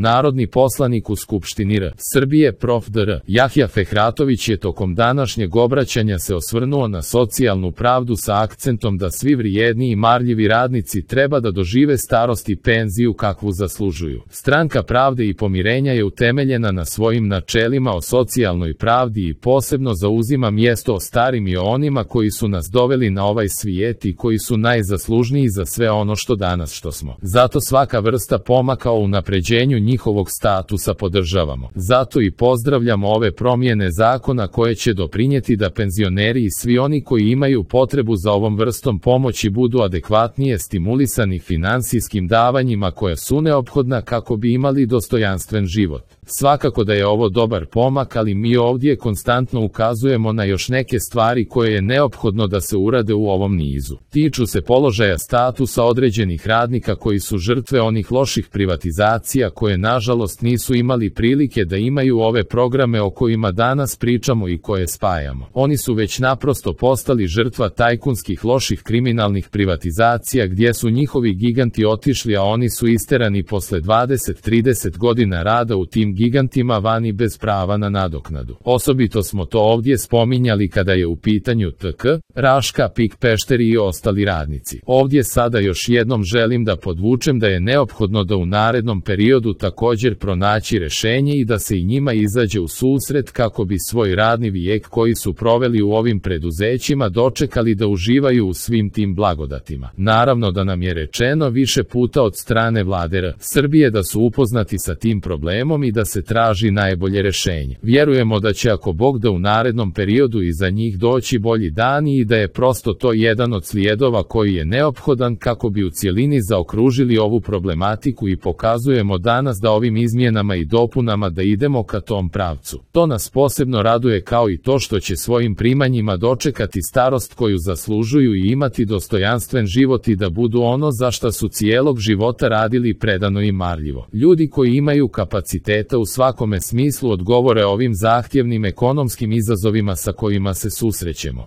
Narodni poslanik u Skupštini R. Srbije prof. dr. Jahja Fehratović je tokom današnjeg obraćanja se osvrnuo na socijalnu pravdu sa akcentom da svi vrijedni i marljivi radnici treba da dožive starost i penziju kakvu zaslužuju. Stranka pravde i pomirenja je utemeljena na svojim načelima o socijalnoj pravdi i posebno zauzima mjesto o starim i o onima koji su nas doveli na ovaj svijet i koji su najzaslužniji za sve ono što danas što smo. Zato svaka vrsta pomaka o unapređenju njihovog statusa podržavamo. Zato i pozdravljamo ove promjene zakona koje će doprinijeti da penzioneri i svi oni koji imaju potrebu za ovom vrstom pomoći budu adekvatnije stimulisani finansijskim davanjima koja su neophodna kako bi imali dostojanstven život. Svakako da je ovo dobar pomak, ali mi ovdje konstantno ukazujemo na još neke stvari koje je neophodno da se urade u ovom nizu. Tiču se položaja statusa određenih radnika koji su žrtve onih loših privatizacija koje nažalost nisu imali prilike da imaju ove programe o kojima danas pričamo i koje spajamo. Oni su već naprosto postali žrtva tajkunskih loših kriminalnih privatizacija gdje su njihovi giganti otišli, a oni su isterani posle 20-30 godina rada u tim gigantima vani bez prava na nadoknadu. Osobito smo to ovdje spominjali kada je u pitanju TK, Raška, PIK Pešteri i ostali radnici. Ovdje sada još jednom želim da podvučem da je neophodno da u narednom periodu također pronaći rješenje i da se i njima izađe u susret kako bi svoj radni vijek koji su proveli u ovim preduzećima dočekali da uživaju u svim tim blagodatima. Naravno da nam je rečeno više puta od strane vlade R. Srbije da su upoznati sa tim problemom i da se traži najbolje rješenje. Vjerujemo da će ako Bog da u narednom periodu i za njih doći bolji dani i da je prosto to jedan od slijedova koji je neophodan kako bi u cjelini zaokružili ovu problematiku i pokazujemo danas da ovim izmjenama i dopunama da idemo ka tom pravcu. To nas posebno raduje kao i to što će svojim primanjima dočekati starost koju zaslužuju i imati dostojanstven život i da budu ono za šta su cijelog života radili predano i marljivo. Ljudi koji imaju kapaciteta u svakome smislu odgovore ovim zahtjevnim ekonomskim izazovima sa kojima se susrećemo.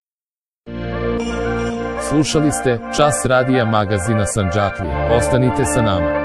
Slušali ste Čas radija magazina Sandžaklija. Ostanite sa nama.